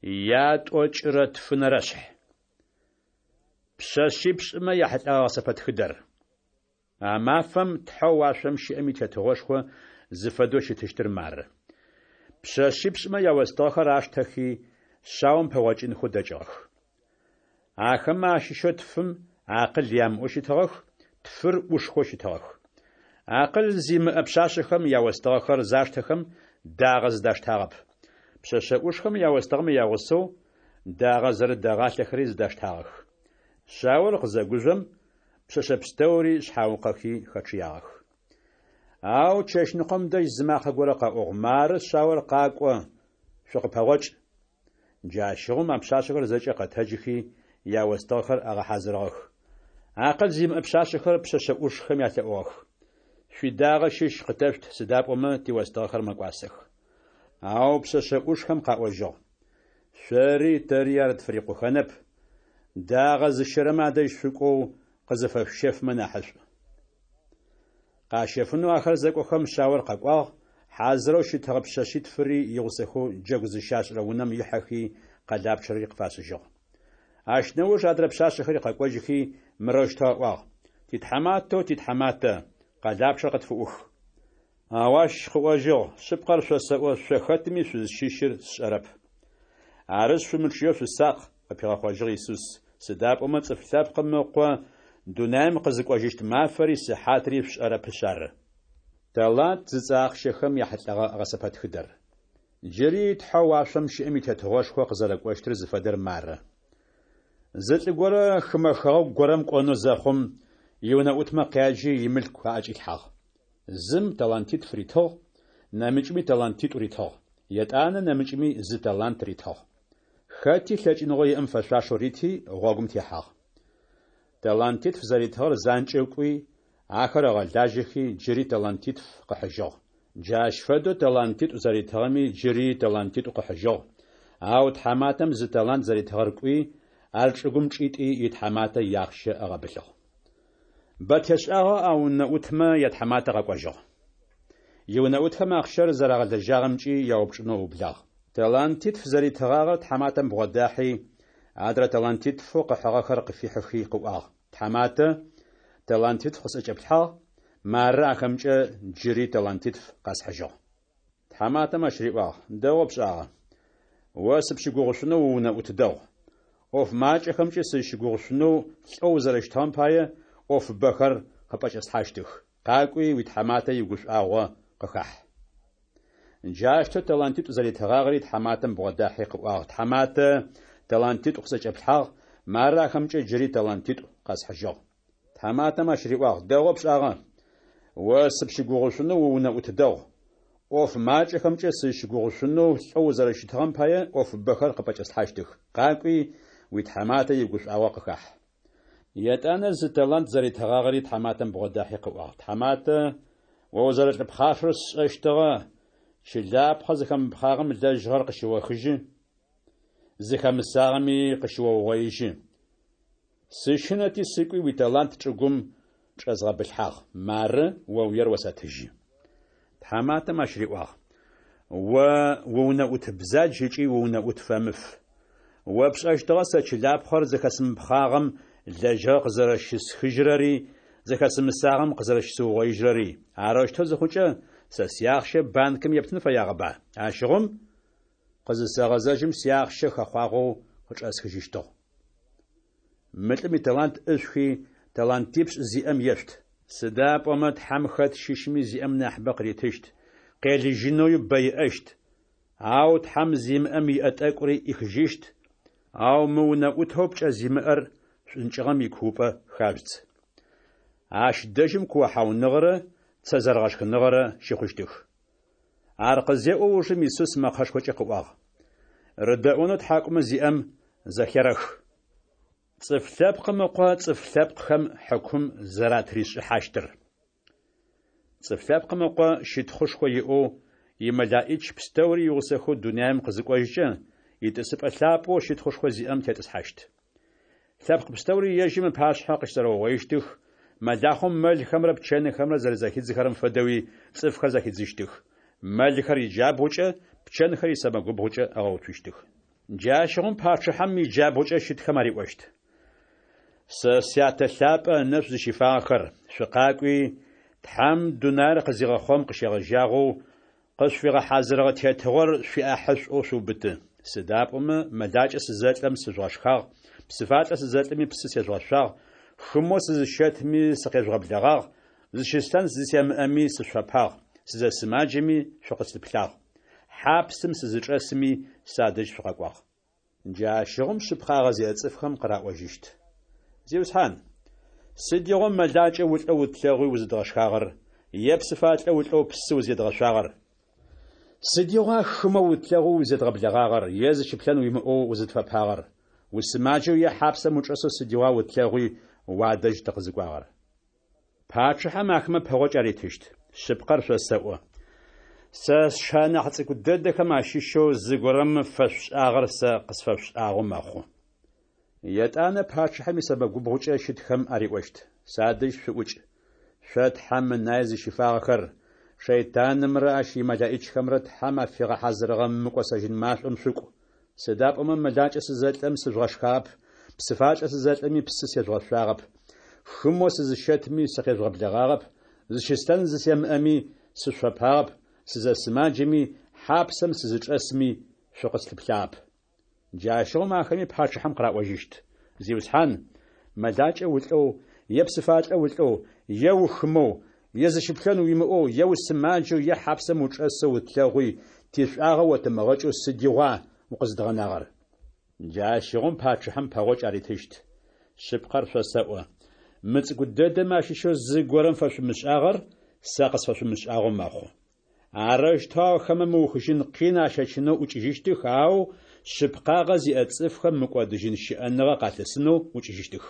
Ятӏокӏырэ тфынэрэ шъхь. Пшъэшъипшӏымэ яхьылӏэгъэ гъэсэпэтхыдэр. А мафэм Тхьэу уашъом щыӏэм и Тетыгъошхо зыфэдэу щытыщтыр мары. Пшъэшъипшӏымэ яостыгъэхэр аштэхи, шъаом пэгъокӏынхэу дэкӏыгъэх. Ахэмэ ащыщэу тфым акъыл ямыӏэу щытыгъэх, тфыр ӏушхэу щытыгъэх. Акъыл зимыӏэ пшъашъэхэм яостыгъэхэр заштэхэм, дагъэ зыдаштагъэп. Пшъэшъэ ӏушхэм яостыгъэмэ ягъусэу дагъэ зэрыт дэгъалъэхэри зыдаштагъэх. Шъаор къызэгужъом, пшъэшъэ пстэури шъхьаукъэхи хэчъыягъэх. Ау чэщныкъом дэжь зы макъэ горэ къэӏугъ: Мары шъаор къакӏо, шъукъыпэгъокӏ! Джащыгъум а пшъашъэхэр зэкӏэ къэтэджыхи, яостыгъэхэр агъэхьазырыгъэх. Акъыл зимыӏэ пшъашъэхэр пшъэшъэ ӏушхэм ялъэӏугъэх: Шъуидагъэ щыщ къытэшъут, сыда пӏомэ тиостыгъэхэр мэкӏуасэх. Ау пшъэшъэ ӏушхэм къаӏожьыгъ: Шъори тэри ар тфырикъухэнэп, дагъэ зыщэрэмэ адэжь шъукӏоу къызыфэшъущэфмэ нахьышӏу. Къащэфынэу ахэр зэкӏохэм шъаор къэкӏуагъ, хьазырэу щытыгъэ пшъэшъитфыри игъусэхэу джэгу зыщашӏырэ унэм ихьэхи къэлапчъэри къыфашӏыжьыгъ. Ащ нэуж адрэ пшъашъэхэри къэкӏожьыхи мырэущтэу аӏуагъ: Титхьаматэу титхьаматэ, къэлапчъэр къытфыӏух. Ау ащ къыӏожьыгъ: Шъыпкъэр шъосэӏо, шъо хэтми шъузщыщыр сшӏэрэп. Арышъ, шъумычъыеу шъусакъ, къыпигъэхъожьыгъ Исус, сыда пӏомэ Цӏыф Лъэпкъым Ыкъо дунаим къызыкӏожьыщт мафэри сыхьатри шъушӏэрэпышъ ары. Талант зыцӏэ ахъщэхэм яхьылӏэгъэ гъэсэпэтхыдэр. Джыри Тхьэу уашъом щыӏэм и Тетыгъошхо къызэрэкӏощтыр зыфэдэр мары. Зы лӏы горэ хымэ хэгъэгу горэм кӏонэу зэхъум, иунэӏутмэ къяджи имылъку аӏэкӏилъхьагъ. Зым талантитф ритыгъ, нэмыкӏми талантитӏу ритыгъ, етӏанэ нэмыкӏми зы талант ритыгъ. Хэти лъэкӏыныгъэу иӏэм фэшъуашэу рити, гъогум техьагъ. Талантитф зэритыгъэр занкӏэу кӏуи, ахэр ыгъэлажьэхи, джыри талантитф къыхьыжьыгъ. Джащ фэдэу талантитӏу зэритыгъэми джыри талантитӏу къыхьыжьыгъ. Ау тхьаматэм зы талант зэритыгъэр кӏуи, ар чӏыгум чӏитӏи итхьаматэ иахъщэ ыгъэбылъыгъ. Бэ тешӏагъэу а унэӏутмэ ятхьаматэ къэкӏожьыгъ. Иунэӏутхэм ахъщэр зэрагъэлэжьагъэмкӏи яупчӏынэу ыублагъ. Талантитф зэритыгъагъэр тхьаматэм бгъодахьи, адрэ талантитфэу къыхьыгъэхэр къыфихьыхи къыӏуагъ: Тхьаматэ, талантитф къысӏэкӏэплъхьагъ, мары ахэмкӏэ джыри талантитф къэсхьыжьыгъ. Тхьаматэм ащ риӏуагъ: Дэгъоу пшӏагъэ. О сыпщыгугъышъунэу уунэӏут дэгъу. ӏоф макӏэхэмкӏи сызщыгугъышъунэу лӏэу узэрэщытыгъэм пае ӏофыбэхэр къыпӏэкӏэслъхьащтых. Къакӏуи, уитхьаматэ игушӏуагъо къыхахь. Джащтэу талантитӏу зэритыгъагъэри тхьаматэм бгъодахьи къыӏуагъ: Тхьаматэ, талантитӏу къысӏэкӏэплъхьагъ, мары ахэмкӏэ джыри талантитӏу къэсхьыжьыгъ. Тхьаматэм ащ риӏуагъ: Дэгъоу пшӏагъэ. О сыпщыгугъышъунэу уунэӏут дэгъу. ӏоф макӏэхэмкӏэ сызщыгугъышъунэу лӏэу узэрэщытыгъэм пае ӏофыбэхэр къыпӏэкӏэслъхьащтых. Къакӏуи, уитхьаматэ игушӏуагъо къыхахь. Етӏанэ зы талант зэритыгъагъэри тхьаматэм бгъодахьи къыӏуагъ: Тхьаматэ, о узэрэлӏы пхъашэр сшӏэщтыгъэ, чылапхъэ зыхэмыпхъагъэм лэжьыгъэр къыщыохыжьы, зыхэмысагъэми къыщыоугъоижьы. Сыщынэти сыкӏуи уиталант чӏыгум чӏэзгъэбылъхьагъ. Мары о уер осэтыжьы. Тхьаматэм ащ риӏуагъ: О уунэӏут бзадж ыкӏи уунэӏут фэмыф. О пшӏэщтыгъэ сэ чылапхъэр зыхэсымыпхъагъэм лэжьыгъэ къызэрэщысхыжьырэри, зыхэсымысагъэм къызэрэщысыугъоижьырэри. Арэущтэу зыхъукӏэ, сэ сиахъщэ банкым ептын фэягъэба? Ащыгъум къызысэгъэзэжьым сиахъщэ хэхъуагъэу къычӏэсхыжьыщтыгъ. Мы лӏым италант ӏышъухи, талантипшӏ зиӏэм ешъут. Сыда пӏомэ Тхьэм хэт щыщми зиӏэм нахьыбэ къыритыщт, къелыжьынэуи бэ иӏэщт, ау Тхьэм зимыӏэм иӏэ тӏэкӏури ӏихыжьыщт, ау мы унэӏутэу пкӏэ зимыӏэр шӏункӏыгъэм икуупӏэ хажъудз. Ащ дэжьым куохьауныгъэрэ цэ зэрэгъэшхыныгъэрэ щыхъущтых. Ар къызеӏо ужым Исус мэкъэшхокӏэ къыӏуагъ: Рыдэӏонэу тхьакӏумэ зиӏэм зэхерэх. Цӏыф Лъэпкъым Ыкъо цӏыф лъэпкъхэм хьыкум зэратришӏыхьащтыр. Цӏыф Лъэпкъым Ыкъо щытхъушхо иӏэу, имэлаӏич пстэури игъусэхэу дунаим къызыкӏожькӏэ, итӏысыпӏэ лъапӏэу щытхъушхо зиӏэм тетӏысхьащт. Лъэпкъ пстэури ежьым ыпашъхьэ къыщызэрэугъоищтых, мэлахъом мэлхэмрэ пчэнхэмрэ зэрэзэхидзыхэрэм фэдэуи цӏыфхэр зэхидзыщтых. Мэлхэр иджабгъукӏэ, пчэнхэр исэмэгубгъукӏэ ыгъэуцущтых. Джащыгъум пачъыхьэм иджабгъукӏэ щытхэм ариӏощт. Сэ Сятэ лъапӏэ ынэшӏу зыщифагъэхэр, шъукъакӏуи, Тхьэм дунаер къызигъэхъугъэм къыщегъэжьагъэу къышъуфигъэхьазырыгъэ тетыгъор шъуиӏахьышӏоу шъуубыты. Сыда пӏомэ мэлакӏэ сызэлӏэм сыжъугъэшхагъ, псыфалӏэ сызэлӏэми псы сежъугъэшъуагъ, хымэу сызыщэтми сыкъежъугъэблэгъагъ, зыщыслъэн зысемыӏэми сышъуфэпагъ, сызэсымаджэми шъукъыслъыплъагъ, хьапсым сызычӏэсми садэжь шъукъэкӏуагъ. Джащыгъум шъыпкъагъэ зиӏэ цӏыфхэм къыраӏожьыщт. Зиусхьан, сыдигъо мэлакӏэ улӏэу утлъэгъуи узыдгъэшхагъэр, е псыфалӏэ улӏэу псы узедгъэшъуагъэр? Сыдигъуа хымэу утлъэгъоу узедгъэблэгъагъэр, е зыщыплъэн уимыӏэу узытфэпагъэр? Усымаджэу е хьапсэм учӏэсэу сыдигъуа утлъэгъуи уадэжь тыкъызыкӏуагъэр? Пачъыхьэм ахэмэ пэгъокӏ аритыщт. Шъыпкъэр шъосэӏо, сэ сшы анахь цӏыкӏу дэдэхэм ащыщэу зыгорэм фэшъушӏагъэр сэ къысфэшъушӏагъэу мэхъу. Етӏанэ пачъыхьэм исэмэгубгъукӏэ щытхэм ариӏощт: Садэжь шъуӏукӏ, шъо Тхьэм ынае зыщифагъэхэр, шэйтанымрэ ащ имэлэӏичхэмрэ Тхьэм афигъэхьазырыгъэ мыкӏосэжьын машӏом шъукӏу. Сыда пӏомэ мэлакӏэ сызэлӏэм сыжъугъэшхагъэп, псыфалӏэ сызэлӏэми псы сежъугъэшъуагъэп, хымэу сызыщэтми сыкъежъугъэблэгъагъэп, зыщыслъэн зысемыӏэми сышъуфэпагъэп, сызэсымаджэми, хьапсэм сызычӏэсми шъукъыслъыплъагъэп. Джащыгъум ахэми пачъыхьэм къыраӏожьыщт: Зиусхьан, мэлакӏэ улӏэу, е псыфалӏэ улӏэу, е ухымэу, е зыщыплъэн уимыӏэу, е усымаджэу, е хьапсэм учӏэсэу утлъэгъуи, тишӏуагъэ отымыгъэкӏэу сыдигъуа укъызыдгъэнагъэр? Джащыгъум пачъыхьэм пэгъокӏ аритыщт. Шъыпкъэр шъосэӏо, мы цӏыкӏу дэдэмэ ащыщэу зыгорэм фэшъумышӏагъэр сэ къысфэшъумышӏагъэу мэхъу. Арэущтэу ахэмэ мыухыжьын къин ащэчынэу ӏукӏыжьыщтых, ау шъыпкъагъэ зиӏэ цӏыфхэм мыкӏодыжьын щыӏэныгъэ къалъысынэу ӏукӏыжьыщтых.